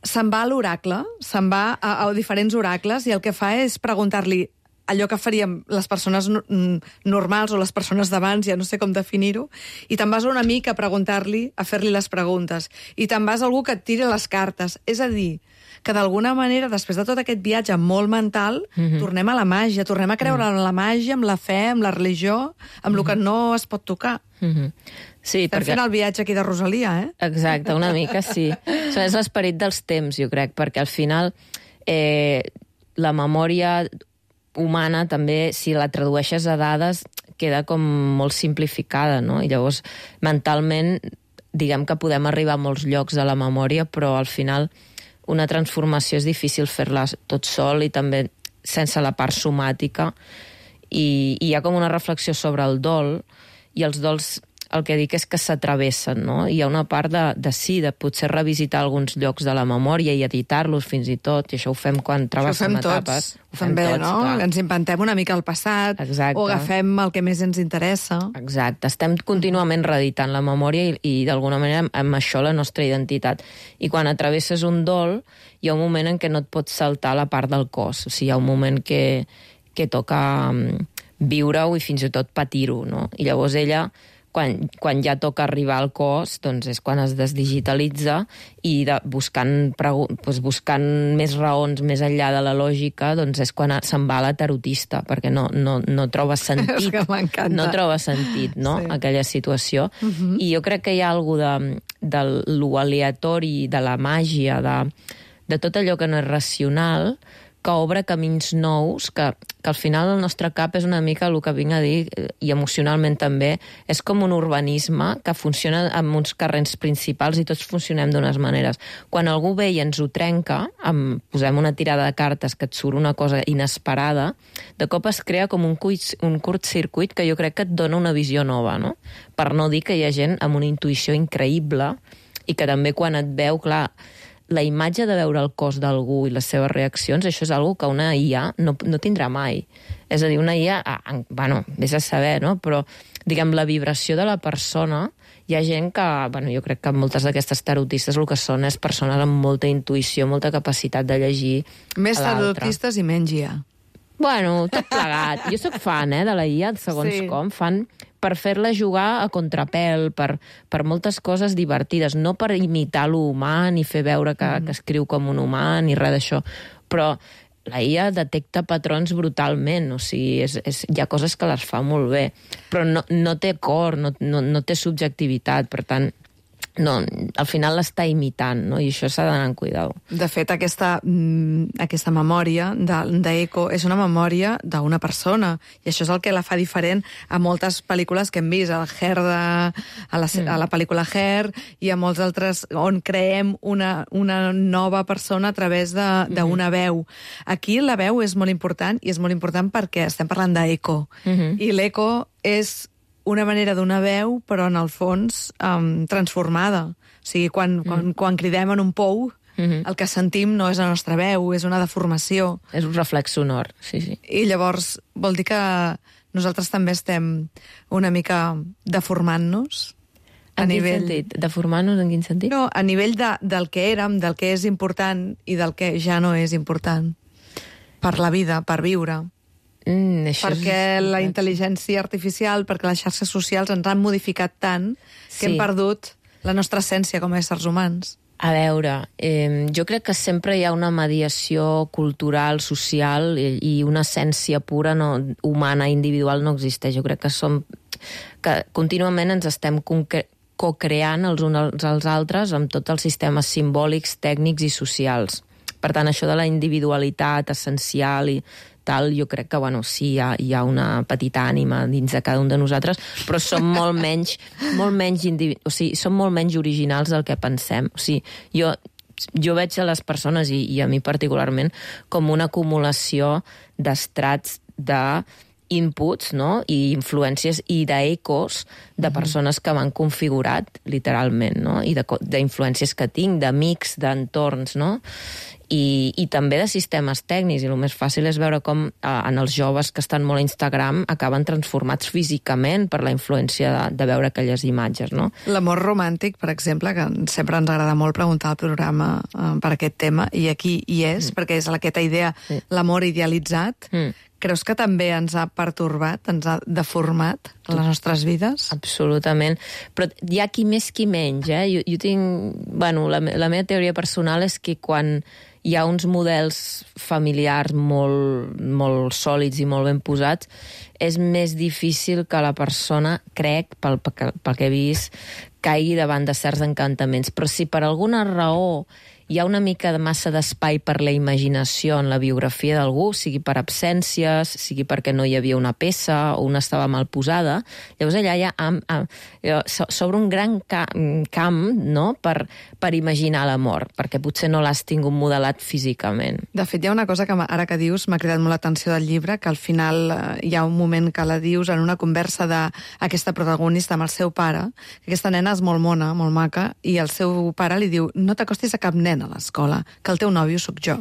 se'n va a l'oracle, se'n va a, a diferents oracles i el que fa és preguntar-li allò que faríem les persones normals o les persones d'abans, ja no sé com definir-ho, i te'n vas a un amic a preguntar-li, a fer-li les preguntes, i te'n vas a algú que et tiri les cartes. És a dir, que d'alguna manera, després de tot aquest viatge molt mental, mm-hmm. tornem a la màgia, tornem a creure en la màgia, amb la fe, amb la religió, amb mm-hmm. el que no es pot tocar. Mm-hmm. Sí, Estem perquè... fent el viatge aquí de Rosalia, eh? Exacte, una mica sí. Això és l'esperit dels temps, jo crec, perquè al final eh, la memòria humana també, si la tradueixes a dades, queda com molt simplificada, no? I llavors, mentalment, diguem que podem arribar a molts llocs de la memòria, però al final una transformació és difícil fer-la tot sol i també sense la part somàtica. I, i hi ha com una reflexió sobre el dol, i els dols el que dic és que s'atravessen, no? Hi ha una part de, de sí, de potser revisitar alguns llocs de la memòria i editar-los fins i tot, i això ho fem quan travessem etapes. Ho fem bé, tots, no? Clar. Ens inventem una mica el passat, exacte. O agafem el que més ens interessa. Exacte, estem contínuament reeditant la memòria i, i d'alguna manera amb això la nostra identitat. I quan atravesses un dol, hi ha un moment en què no et pots saltar la part del cos, o sigui, hi ha un moment que, que toca viure-ho i fins i tot patir-ho, no? I llavors ella... Quan, quan ja toca arribar al cos, doncs és quan es desdigitalitza i de, buscant, doncs buscant més raons més enllà de la lògica, doncs és quan se'n va a la tarotista, perquè no, no, no troba sentit. No troba sentit, no?, sí. Aquella situació. Uh-huh. I jo crec que hi ha alguna de, de lo aleatori, de la màgia, de, de tot allò que no és racional, que obre camins nous, que, que al final el nostre cap és una mica el que vinc a dir, i emocionalment també, és com un urbanisme que funciona amb uns carrers principals i tots funcionem d'unes maneres. Quan algú ve i ens ho trenca, amb, posem una tirada de cartes que et surt una cosa inesperada, de cop es crea com un, cuit, un curtcircuit que jo crec que et dona una visió nova, no? Per no dir que hi ha gent amb una intuïció increïble i que també quan et veu, clar, la imatge de veure el cos d'algú i les seves reaccions, això és algo que una I A no, no tindrà mai. És a dir, una I A, ah, bueno, vés a saber, no? Però, diguem, la vibració de la persona, hi ha gent que, bueno, jo crec que moltes d'aquestes tarotistes el que són és persones amb molta intuïció, molta capacitat de llegir Més a l'altre. tarotistes i menys I A. Bueno, tot plegat. Jo sóc fan, eh, de la I A, segons Sí. com, fan per fer-la jugar a contrapèl, per, per moltes coses divertides, no per imitar l'humà, ni fer veure que, mm. que escriu com un humà, ni res d'això. Però la I A detecta patrons brutalment, o sigui, és, és, hi ha coses que les fa molt bé, però no, no té cor, no, no, no té subjectivitat, per tant, no, al final l'està imitant, no? I això s'ha d'anar amb cuidado. De fet, aquesta, mm, aquesta memòria d'Eco és una memòria d'una persona, i això és el que la fa diferent a moltes pel·lícules que hem vist, a, Hair de, a, la, mm. a la pel·lícula Hair, i a molts altres on creem una, una nova persona a través d'una mm. veu. Aquí la veu és molt important, i és molt important perquè estem parlant d'Eco, mm-hmm. i l'Eco és una manera d'una veu, però en el fons um, transformada. O sigui, quan, mm. quan, quan cridem en un pou, mm-hmm. el que sentim no és la nostra veu, és una deformació. És un reflex sonor, sí, sí. I llavors vol dir que nosaltres també estem una mica deformant-nos. En quin nivell... sentit? Deformant-nos en quin sentit? No, a nivell de, del que érem, del que és important i del que ja no és important. Per la vida, per viure. Mm, perquè és... la intel·ligència artificial, perquè les xarxes socials ens han modificat tant que sí. hem perdut la nostra essència com a éssers humans. A veure, eh, jo crec que sempre hi ha una mediació cultural, social, i, i una essència pura no, humana, individual, no existeix. Jo crec que som que contínuament ens estem co-creant els uns als altres amb tots els sistemes simbòlics, tècnics i socials. Per tant, això de la individualitat essencial i tal, jo crec que, bueno, sí, hi ha, hi ha una petita ànima dins de cada un de nosaltres, però som molt menys, molt menys individu... o sigui, som molt menys originals del que pensem. O sigui, jo, jo veig a les persones, i, i a mi particularment, com una acumulació d'estrats de inputs, no? I influències i d'ecos de persones que m'han configurat, literalment, no? I d'influències que tinc, d'amics, d'entorns, no? I, i també de sistemes tècnics, i el més fàcil és veure com eh, en els joves que estan molt a Instagram acaben transformats físicament per la influència de, de veure aquelles imatges, no? L'amor romàntic, per exemple, que sempre ens agrada molt preguntar al programa eh, per aquest tema, i aquí hi és, mm. perquè és aquesta idea, sí. l'amor idealitzat. Mm. Creus que també ens ha pertorbat, ens ha deformat a les nostres vides? Absolutament. Però hi ha qui més, qui menys, eh? Jo, jo tinc... Bueno, la, la meva teoria personal és que quan hi ha uns models familiars molt, molt sòlids i molt ben posats, és més difícil que la persona, crec, pel, pel, pel que he vist, caigui davant de certs encantaments. Però si per alguna raó hi ha una mica de massa d'espai per la imaginació en la biografia d'algú, sigui per absències, sigui perquè no hi havia una peça o una estava mal posada, llavors allà hi ha s'obre un gran camp, no?, per, per imaginar l'amor, perquè potser no l'has tingut modelat físicament. De fet, hi ha una cosa que ara que dius m'ha cridat molt l'atenció del llibre, que al final hi ha un moment que la dius en una conversa d'aquesta protagonista amb el seu pare, que aquesta nena és molt mona, molt maca, i el seu pare li diu: no t'acostis a cap nen a l'escola, que el teu nòvio sóc jo.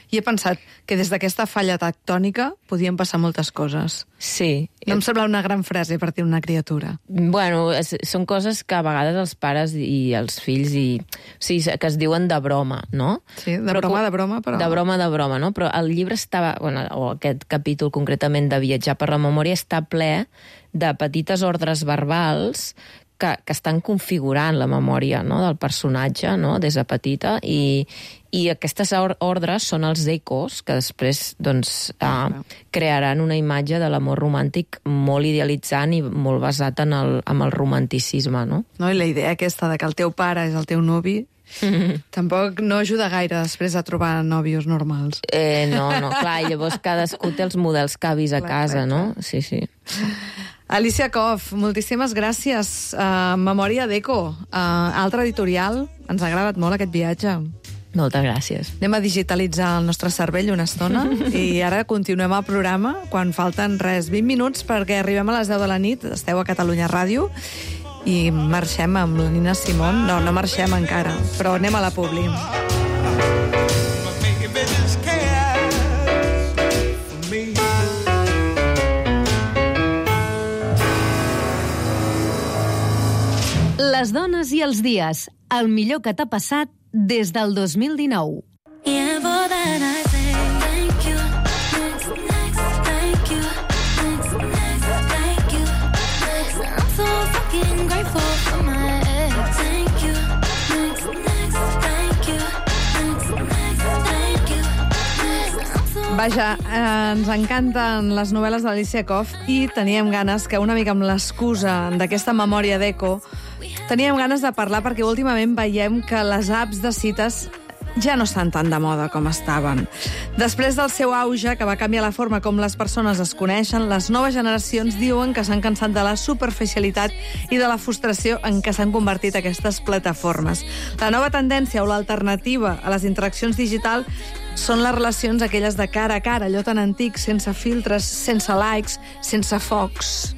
I he pensat que des d'aquesta falla tectònica podien passar moltes coses. Sí. No em sembla una gran frase per dir una criatura. Bueno, és, són coses que a vegades els pares i els fills i, o sigui, que es diuen de broma, no? Sí, de però, broma, de broma, però... De broma, de broma, no? Però el llibre estava, bueno, o aquest capítol concretament de Viatjar per la memòria, està ple de petites ordres verbals que, que estan configurant la memòria, no?, del personatge, no?, des de petita, i, i aquestes ordres són els ecos que després doncs, eh, crearan una imatge de l'amor romàntic molt idealitzant i molt basat en el, en el romanticisme, no? No, i la idea aquesta de que el teu pare és el teu nuvi tampoc no ajuda gaire després a trobar nòvios normals. Eh, no, no, clar, i llavors cadascú té els models que ha vist a clar, casa, clar, no? Sí, sí. Alicia Koff, moltíssimes gràcies. Uh, Memòria d'Eco, uh, altra editorial. Ens ha agradat molt aquest viatge. Moltes gràcies. Anem a digitalitzar el nostre cervell una estona i ara continuem el programa quan falten res, vint minuts perquè arribem a les deu de la nit. Esteu a Catalunya Ràdio i marxem amb la Nina Simón. No, no marxem encara, però anem a la Publi. Les dones i els dies, el millor que t'ha passat des del dos mil dinou. Vaja, eh, ens encanten les novel·les d'Alicia Koff i teníem ganes que una mica amb l'excusa d'aquesta memòria d'Eco teníem ganes de parlar perquè últimament veiem que les apps de cites ja no estan tan de moda com estaven. Després del seu auge, que va canviar la forma com les persones es coneixen, les noves generacions diuen que s'han cansat de la superficialitat i de la frustració en què s'han convertit aquestes plataformes. La nova tendència o l'alternativa a les interaccions digitals són les relacions aquelles de cara a cara, allò tan antic, sense filtres, sense likes, sense focs.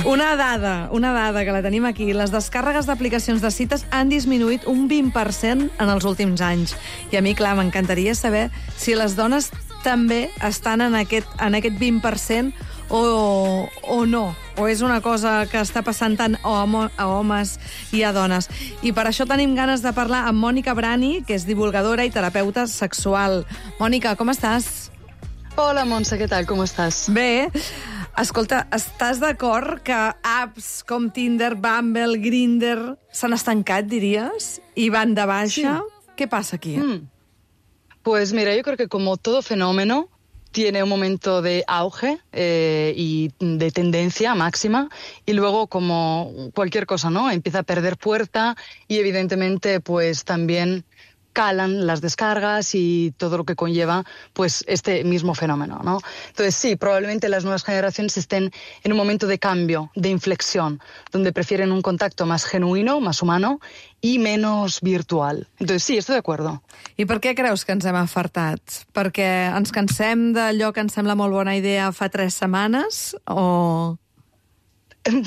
Una dada, una dada que la tenim aquí. Les descàrregues d'aplicacions de cites han disminuït un vint per cent en els últims anys. I a mi, clar, m'encantaria saber si les dones també estan en aquest, en aquest vint per cent o, o no. O és una cosa que està passant tant a, homo, a homes i a dones. I per això tenim ganes de parlar amb Mònica Brani, que és divulgadora i terapeuta sexual. Mònica, com estàs? Hola, Montse, què tal? Com estàs? Bé. Escolta, estàs d'acord que apps com Tinder, Bumble, Grindr s'han estancat, diries? I van de baixa? Sí. ¿Qué pasa aquí? Mm. Pues mira, yo creo que como todo fenómeno tiene un momento de auge eh, y de tendencia máxima y luego, como cualquier cosa, ¿no? Empieza a perder fuerza y evidentemente pues también calan las descargas y todo lo que conlleva pues este mismo fenómeno, ¿no? Entonces sí, probablemente las nuevas generaciones estén en un momento de cambio, de inflexión, donde prefieren un contacto más genuino, más humano i menos virtual. Entonces sí, estoy de acuerdo. I per què creus que ens hem afartat? Perquè ens cansem d'allò que ens sembla molt bona idea fa tres setmanes o...?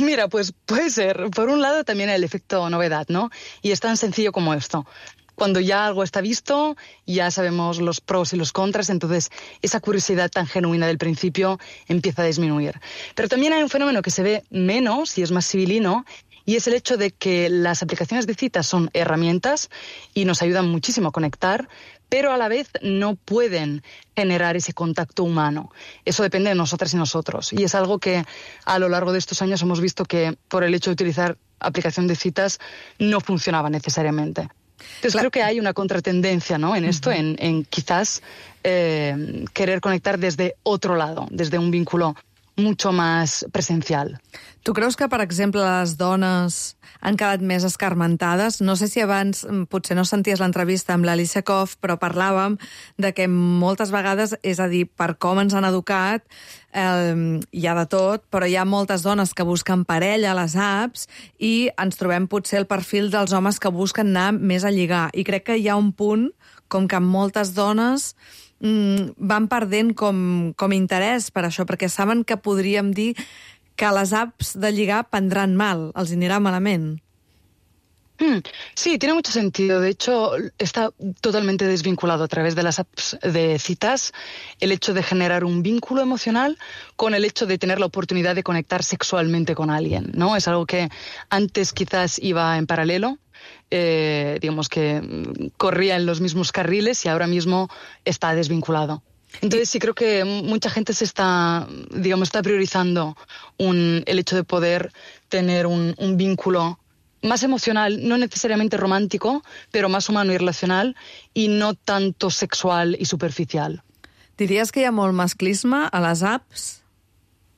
Mira, pues puede ser. Por un lado también el efecto novedad, ¿no? Y es tan sencillo como esto. Cuando ya algo está visto, ya sabemos los pros y los contras, entonces esa curiosidad tan genuina del principio empieza a disminuir. Pero también hay un fenómeno que se ve menos y es más civilino, y es el hecho de que las aplicaciones de citas son herramientas y nos ayudan muchísimo a conectar, pero a la vez no pueden generar ese contacto humano. Eso depende de nosotras y nosotros. Y es algo que a lo largo de estos años hemos visto que por el hecho de utilizar aplicación de citas no funcionaba necesariamente. Entonces claro, creo que hay una contratendencia, ¿no? En esto, uh-huh. en, en quizás eh, querer conectar desde otro lado, desde un vínculo mucho más presencial. Tu creus que, per exemple, les dones han quedat més escarmentades? No sé si abans, potser no senties l'entrevista amb l'Alicia Koff, però parlàvem de que moltes vegades, és a dir, per com ens han educat, eh, hi ha de tot, però hi ha moltes dones que busquen parella a les apps i ens trobem potser el perfil dels homes que busquen anar més a lligar. I crec que hi ha un punt com que moltes dones mm, van perdent com, com interès per això, perquè saben que podríem dir que les apps de lligar prendran mal, els anirà malament. Mm, sí, tiene mucho sentido. De hecho, está totalmente desvinculado a través de las apps de citas el hecho de generar un vínculo emocional con el hecho de tener la oportunidad de conectar sexualmente con alguien, ¿no? Es algo que antes quizás iba en paralelo, eh, digamos que corría en los mismos carriles y ahora mismo está desvinculado. Entonces sí creo que mucha gente se está, digamos, está priorizando un, el hecho de poder tener un, un vínculo más emocional, no necesariamente romántico, pero más humano y relacional, y no tanto sexual y superficial. Diries que hi ha molt masclisme a les apps,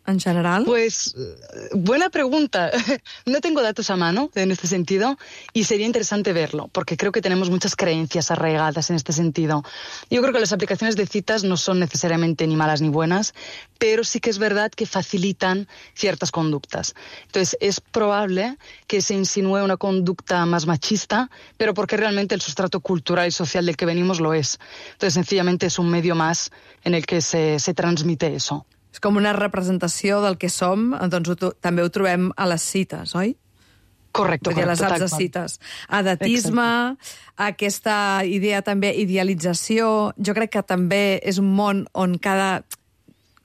en general? Pues, buena pregunta. No tengo datos a mano en este sentido y sería interesante verlo, porque creo que tenemos muchas creencias arraigadas en este sentido. Yo creo que las aplicaciones de citas no son necesariamente ni malas ni buenas, pero sí que es verdad que facilitan ciertas conductas. Entonces, es probable que se insinúe una conducta más machista, pero porque realmente el sustrato cultural y social del que venimos lo es. Entonces, sencillamente es un medio más en el que se, se transmite eso. És com una representació del que som, doncs ho, també ho trobem a les cites, oi? Correcte, correcte. A les apps de cites. Edatisme, aquesta idea també, idealització, jo crec que també és un món on cada,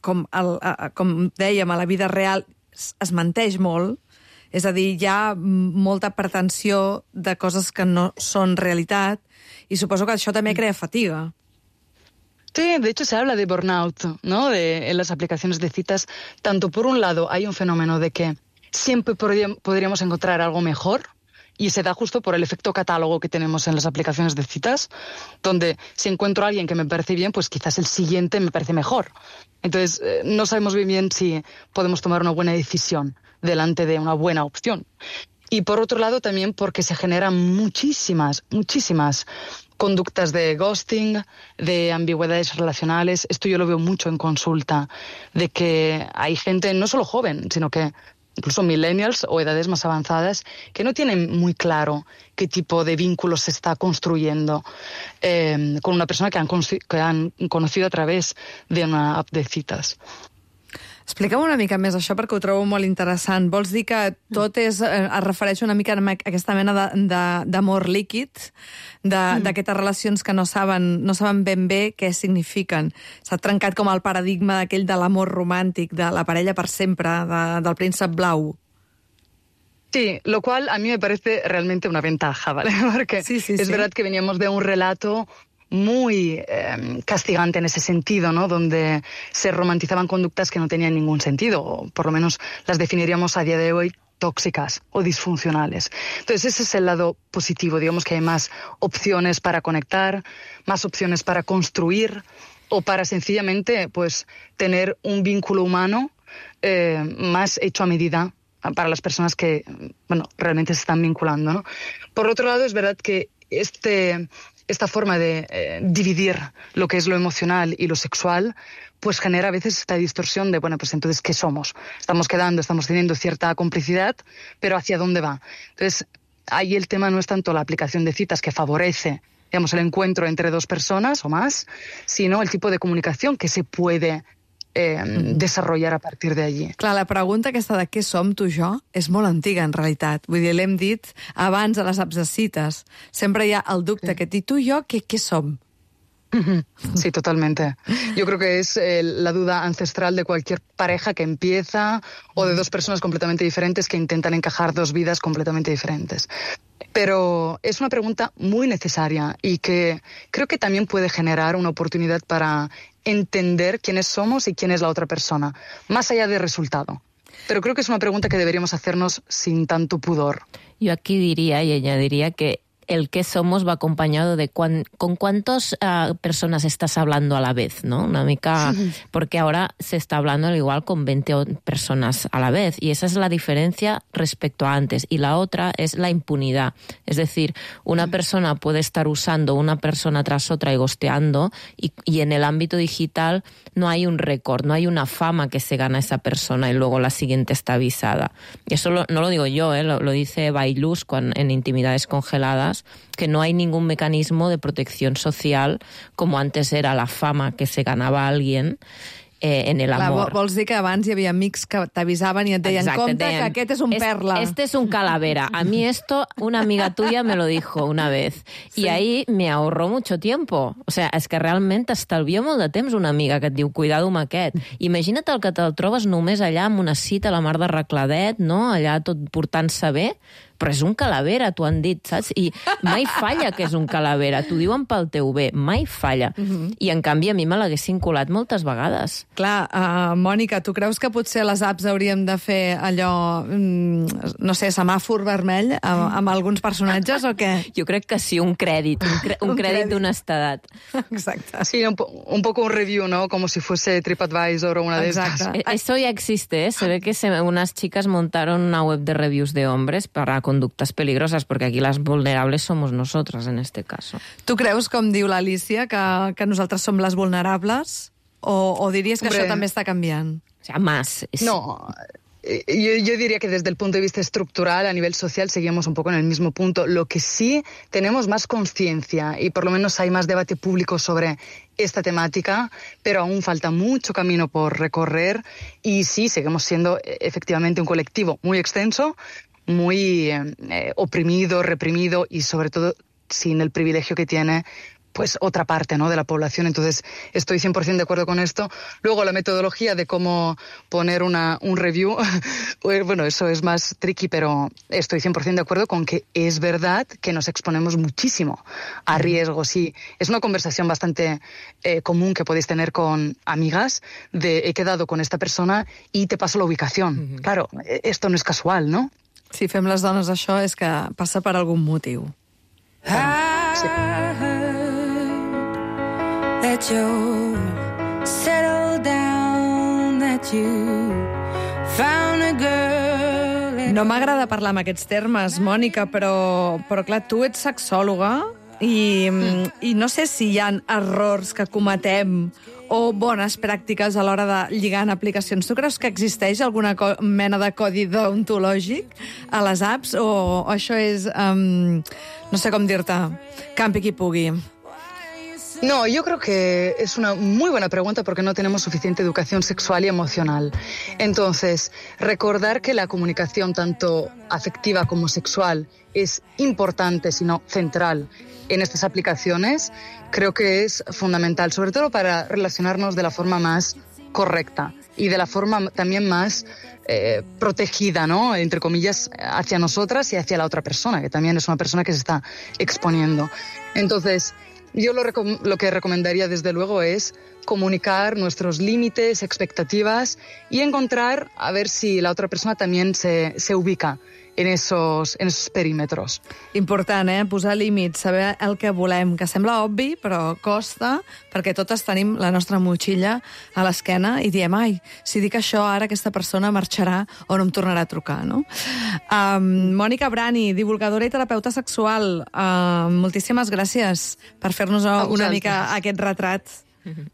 com, el, com dèiem, a la vida real es menteix molt, És a dir, hi ha molta pretensió de coses que no són realitat i suposo que això també crea fatiga. Sí, de hecho se habla de burnout, ¿no? De, en las aplicaciones de citas. Tanto por un lado hay un fenómeno de que siempre podríamos encontrar algo mejor, y se da justo por el efecto catálogo que tenemos en las aplicaciones de citas, donde si encuentro a alguien que me parece bien, pues quizás el siguiente me parece mejor. Entonces, eh, no sabemos bien bien si podemos tomar una buena decisión delante de una buena opción. Y por otro lado también porque se generan muchísimas, muchísimas conductas de ghosting, de ambigüedades relacionales. Esto yo lo veo mucho en consulta, de que hay gente, no solo joven, sino que incluso millennials o edades más avanzadas, que no tienen muy claro qué tipo de vínculos se está construyendo eh, con una persona que han, que han conocido a través de una app de citas. Explica'm una mica més això perquè ho trobo molt interessant. Vols dir que tot és, eh, es refereix una mica a aquesta mena d'amor líquid, d'aquestes mm. relacions que no saben, no saben ben bé què signifiquen. S'ha trencat com el paradigma d'aquell de l'amor romàntic, de la parella per sempre, de, del príncep blau. Sí, lo cual a mí me parece realmente una ventaja, ¿vale? Porque sí, sí, es sí. verdad que veníamos de un relato muy eh, castigante en ese sentido, ¿no? Donde se romantizaban conductas que no tenían ningún sentido, o por lo menos las definiríamos a día de hoy tóxicas o disfuncionales. Entonces ese es el lado positivo, digamos que hay más opciones para conectar, más opciones para construir o para sencillamente pues tener un vínculo humano eh, más hecho a medida para las personas que, bueno, realmente se están vinculando, ¿no? Por otro lado, es verdad que este... esta forma de eh, dividir lo que es lo emocional y lo sexual, pues genera a veces esta distorsión de, bueno, pues entonces, ¿qué somos? Estamos quedando, estamos teniendo cierta complicidad, pero ¿hacia dónde va? Entonces, ahí el tema no es tanto la aplicación de citas que favorece, digamos, el encuentro entre dos personas o más, sino el tipo de comunicación que se puede Eh, desarrollar a partir de allí. Clar, la pregunta aquesta de què som tu i jo és molt antiga, en realitat. Vull dir, l'hem dit abans a les apps de cites. Sempre hi ha el dubte sí. que tu i jo, què, què som? Sí, totalmente. Yo creo que es eh, la duda ancestral de cualquier pareja que empieza o de dos personas completamente diferentes que intentan encajar dos vidas completamente diferentes. Pero es una pregunta muy necesaria y que creo que también puede generar una oportunidad para entender quiénes somos y quién es la otra persona, más allá del resultado. Pero creo que es una pregunta que deberíamos hacernos sin tanto pudor. Yo aquí diría y añadiría que el qué somos va acompañado de cuán, con cuántas uh, personas estás hablando a la vez, ¿no? Una mica, sí. Porque ahora se está hablando al igual con veinte personas a la vez y esa es la diferencia respecto a antes. Y la otra es la impunidad. Es decir, una sí. persona puede estar usando una persona tras otra y gosteando y, y en el ámbito digital no hay un récord, no hay una fama que se gana esa persona y luego la siguiente está avisada. Y eso lo, no lo digo yo, ¿eh? lo, lo dice Bailuz en Intimidades Congeladas, que no hay ningún mecanismo de protección social como antes era la fama que se ganaba alguien eh, en el amor. Clar, vols dir que abans hi havia amics que t'avisaven i et deien, Exacte, compte deien, que aquest és un es, perla. Este es un calavera. A mí esto, una amiga tuya me lo dijo una vez. Sí. Y ahí me ahorró mucho tiempo. O sea, és que realment t'estalvia molt de temps una amiga que et diu, cuidado amb aquest. Imagina't el que te'l trobes només allà amb una cita a la mar de Recladet, no? Allà tot portant-se bé. Però és un calavera, t'ho han dit, saps? I mai falla que és un calavera. T'ho diuen pel teu bé, mai falla. Uh-huh. I, en canvi, a mi me l'haguessin colat moltes vegades. Clar, uh, Mònica, tu creus que potser les apps hauríem de fer allò, mm, no sé, semàfor vermell amb, amb alguns personatges o què? Jo crec que sí, un crèdit, un, cre un, un crèdit d'honestedat. Exacte. Sí, un, po un poco un review, ¿no? Como si fuese TripAdvisor o una de estas. Eso ya existe, ¿eh? Se ve que se, unas chicas montaron una web de reviews de hombres para conductas peligrosas, porque aquí las vulnerables somos nosotras en este caso. Tu creus, com diu l'Alicia, que, que nosaltres som les vulnerables? O, o diries que Hombre, això també està canviant? O sea, más. Es... No, yo, yo diría que desde el punto de vista estructural, a nivel social, seguimos un poco en el mismo punto. Lo que sí tenemos más conciencia y por lo menos hay más debate público sobre esta temática, pero aún falta mucho camino por recorrer y sí, seguimos siendo efectivamente un colectivo muy extenso, muy eh, oprimido, reprimido y sobre todo sin el privilegio que tiene pues otra parte, ¿no?, de la población. Entonces, estoy cien por ciento de acuerdo con esto. Luego, la metodología de cómo poner una, un review, pues, bueno, eso es más tricky, pero estoy cien por ciento de acuerdo con que es verdad que nos exponemos muchísimo a riesgos. Y es una conversación bastante eh, común que podéis tener con amigas de he quedado con esta persona y te paso la ubicación. Uh-huh. Claro, esto no es casual, ¿no? Si fem les dones això és que passa per algun motiu. I Sí. heard that you settled down, that you found a girl. No m'agrada parlar amb aquests termes, Mònica, però, però clar, tu ets sexòloga i, mm. i no sé si hi ha errors que cometem o bones pràctiques a l'hora de lligar en aplicacions. Tu creus que existeix alguna mena de codi deontològic a les apps o, o això és, um, no sé com dir-te, campi qui pugui? No, yo creo que es una muy buena pregunta porque no tenemos suficiente educación sexual y emocional. Entonces, recordar que la comunicación tanto afectiva como sexual es importante, sino central en estas aplicaciones, creo que es fundamental, sobre todo para relacionarnos de la forma más correcta y de la forma también más eh, protegida, ¿no?, entre comillas, hacia nosotras y hacia la otra persona, que también es una persona que se está exponiendo. Entonces, yo lo, lo que recomendaría desde luego es comunicar nuestros límites, expectativas y encontrar a ver si la otra persona también se, se ubica en esos, en esos perímetros. Important, eh? Posar límits, saber el que volem, que sembla obvi, però costa, perquè totes tenim la nostra motxilla a l'esquena i diem, ai, si dic això, ara aquesta persona marxarà o no em tornarà a trucar, no? Um, Mònica Brani, divulgadora i terapeuta sexual, uh, moltíssimes gràcies per fer-nos una mica aquest retrat.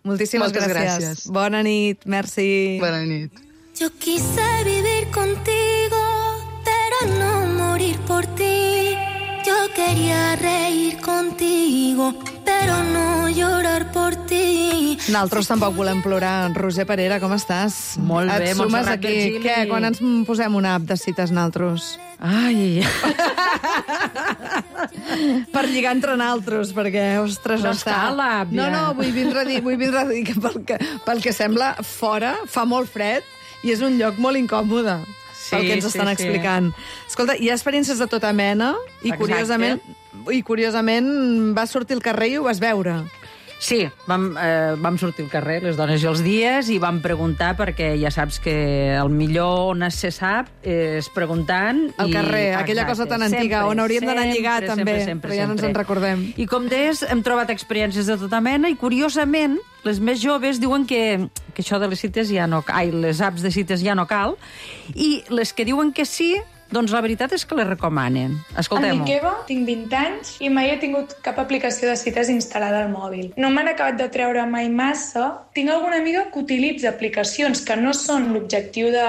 Moltíssimes Moltes gràcies. gràcies. Bona nit, merci. Bona nit. Yo quise vivir contigo, pero no morir por ti. Yo quería reír contigo, pero no llorar por ti. Nosaltres tampoc volem plorar. Roser Parera, com estàs? Molt bé, Et sumes Montserrat aquí. Virgili. Què, quan ens posem una app de cites nosaltres? Ai, Per lligar entre nosaltres, perquè, ostres, No està... cal l'app, No, ja. no, vull vindre a dir, vull vindre a dir que pel, que pel que sembla, fora fa molt fred i és un lloc molt incòmode. Sí, pel que ens sí, estan sí. explicant. Escolta, hi ha experiències de tota mena i Exacte. curiosament, i curiosament vas sortir al carrer i ho vas veure. sí, vam, eh, vam sortir al carrer, les dones i els dies, i vam preguntar, perquè ja saps que el millor on se sap és preguntant. Al i- carrer, aquella cosa tan antiga, on hauríem d'anar a lligar, també, però ja no ens en recordem. I com deies, hem trobat experiències de tota mena, i curiosament, les més joves diuen que, que això de les cites ja no... Ai, les apps de cites ja no cal, i les que diuen que sí, doncs la veritat és que les recomanen. Em Escoltem-ho. dic Eva, tinc vint anys i mai he tingut cap aplicació de cites instal·lada al mòbil. No m'han acabat de treure mai massa. Tinc alguna amiga que utilitza aplicacions que no són l'objectiu de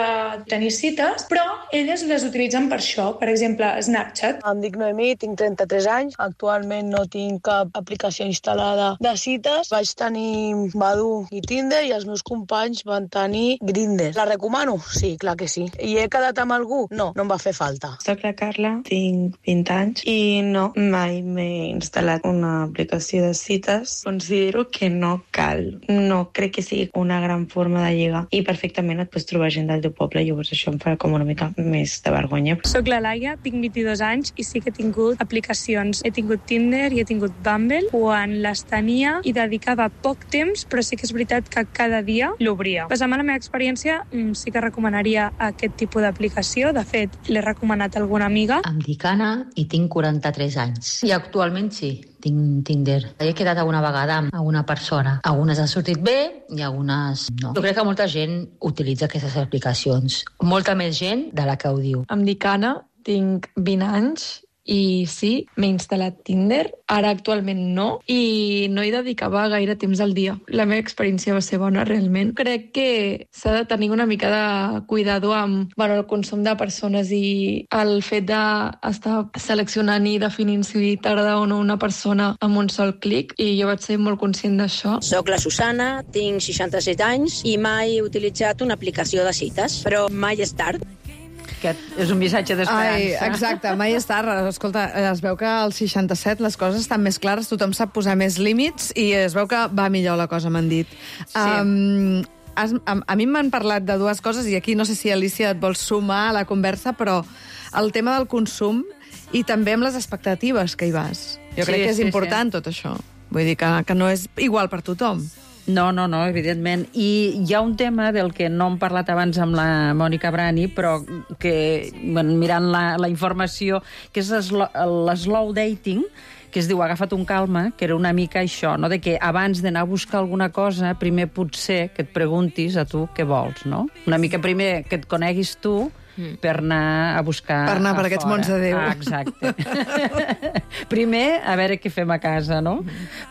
tenir cites, però elles les utilitzen per això. Per exemple, Snapchat. Em dic Noemí, tinc trenta-tres anys. Actualment no tinc cap aplicació instal·lada de cites. Vaig tenir Badoo i Tinder i els meus companys van tenir Grindr. La recomano? Sí, clar que sí. I he quedat amb algú? No, no em va fer falta. Soc la Carla, tinc vint anys i no, mai m'he instal·lat una aplicació de cites. Considero que no cal. No crec que sigui una gran forma de lligar i perfectament et pots trobar gent del teu poble, llavors això em fa com una mica més de vergonya. Soc la Laia, tinc vint-i-dos anys i sí que he tingut aplicacions. He tingut Tinder i he tingut Bumble quan les tenia i dedicava poc temps, però sí que és veritat que cada dia l'obria. Basant en la meva experiència, sí que recomanaria aquest tipus d'aplicació. De fet, l'he recomanat a alguna amiga. Em dic Anna i tinc quaranta-tres anys. I actualment sí, tinc Tinder. He quedat alguna vegada amb alguna persona. Algunes han sortit bé i algunes no. Jo crec que molta gent utilitza aquestes aplicacions. Molta més gent de la que ho diu. Em dic Anna, tinc vint anys i sí, m'he instal·lat Tinder. Ara actualment no, i no hi dedicava gaire temps al dia. La meva experiència va ser bona, realment. Crec que s'ha de tenir una mica de cuidado amb bueno, el consum de persones i el fet d'estar seleccionant i definint si t'agrada o no una persona amb un sol clic, i jo vaig ser molt conscient d'això. Soc la Susana, tinc seixanta-set anys i mai he utilitzat una aplicació de cites, però mai és tard. aquest és un missatge Ai, d'esperança. exacte, mai és tard. Escolta, es veu que als seixanta-set les coses estan més clares, tothom sap posar més límits i es veu que va millor la cosa, m'han dit. Sí. Um, has, a, a mi m'han parlat de dues coses i aquí no sé si Alicia et vols sumar a la conversa, però el tema del consum i també amb les expectatives que hi vas. Jo Sí, crec que és sí, important sí. tot això. Vull dir que, que no és igual per tothom. No, no, no, evidentment. I hi ha un tema del que no hem parlat abans amb la Mònica Brani, però que, bueno, mirant la, la informació, que és l'eslow dating, que es diu agafat un calma, que era una mica això, no? De que abans d'anar a buscar alguna cosa, primer potser que et preguntis a tu què vols, no? Una mica primer que et coneguis tu, per anar a buscar Per anar a per aquests fora. mons de Déu. Ah, exacte. Primer, a veure què fem a casa, no?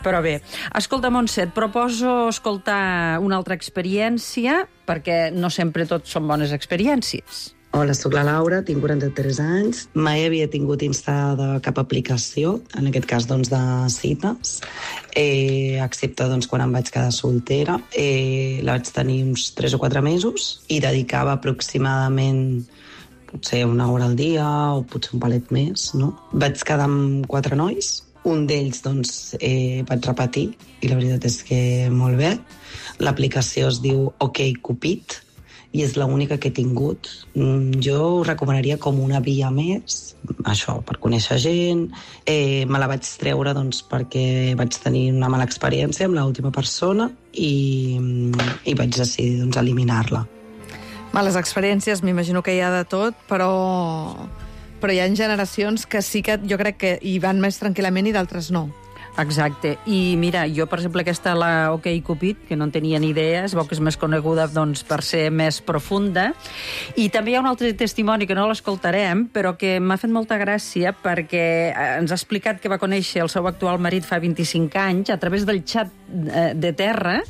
Però bé, escolta, Montse, et proposo escoltar una altra experiència, perquè no sempre tot són bones experiències. Hola, sóc la Laura, tinc quaranta-tres anys. Mai havia tingut instal·lada cap aplicació, en aquest cas doncs, de cites, eh, excepte doncs, quan em vaig quedar soltera. Eh, la vaig tenir uns tres o quatre mesos i dedicava aproximadament potser una hora al dia o potser un palet més, no? Vaig quedar amb quatre nois. Un d'ells doncs, eh, vaig repetir i la veritat és que molt bé. L'aplicació es diu OkCupid i és l'única que he tingut. Jo ho recomanaria com una via més, això, per conèixer gent. Eh, me la vaig treure doncs, perquè vaig tenir una mala experiència amb l'última persona i, i vaig decidir doncs, eliminar-la. Males experiències, m'imagino que hi ha de tot, però, però hi ha generacions que sí que jo crec que hi van més tranquil·lament i d'altres no. Exacte. I mira, jo, per exemple, aquesta, la OkCupid, que no en tenia ni idea, es veu que és més coneguda doncs, per ser més profunda. I també hi ha un altre testimoni que no l'escoltarem, però que m'ha fet molta gràcia perquè ens ha explicat que va conèixer el seu actual marit fa vint-i-cinc anys a través del xat de terra,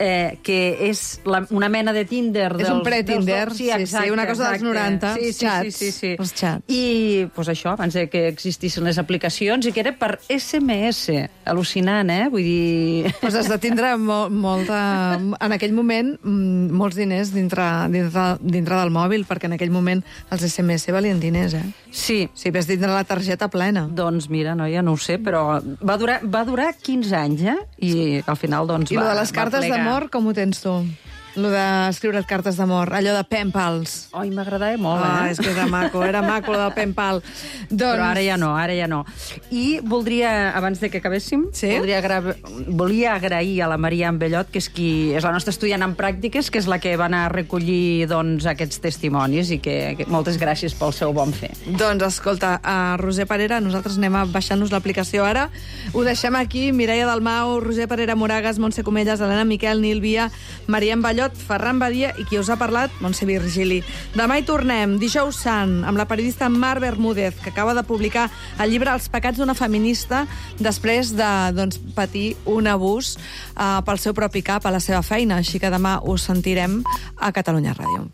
eh, que és la, una mena de Tinder. És dels, un pre-Tinder, dels, sí, exacte, sí, una cosa exacte. dels noranta, sí, sí, xats, sí, sí, sí. els xats. I pues, això, abans de que existissin les aplicacions, i que era per esse eme esse. Al·lucinant, eh? Vull dir... Pues has de tindre molt, molta... En aquell moment, molts diners dintre, dintre, dintre del mòbil, perquè en aquell moment els esse eme esse valien diners, eh? Sí. Si ves dintre la targeta plena. Doncs mira, no, ja no ho sé, però va durar, va durar quinze anys, eh? I al final, doncs, I va, lo de les cartes d'amor, com ho tens tu? Lo d'escriure't cartes d'amor, allò de pen pals. Ai, m'agradava molt, ah, eh? És que era maco, era maco, lo del pen pal. Doncs... Però ara ja no, ara ja no. I voldria, abans de que acabéssim, sí? voldria agra... volia agrair a la Maria Bellot, que és qui és la nostra estudiant en pràctiques, que és la que va anar a recollir doncs, aquests testimonis, i que, que moltes gràcies pel seu bon fer. Doncs escolta, a Roser Parera, nosaltres anem a baixar-nos l'aplicació ara. Ho deixem aquí, Mireia Dalmau, Roser Parera Moragas, Montse Comelles, Helena Miquel, Nil Via, Maria Bellot, Ferran Badia i qui us ha parlat, Montse Virgili. Demà hi tornem, dijous sant, amb la periodista Mar Bermúdez, que acaba de publicar el llibre Els pecats d'una feminista després de doncs, patir un abús eh, pel seu propi cap a la seva feina. Així que demà us sentirem a Catalunya Ràdio.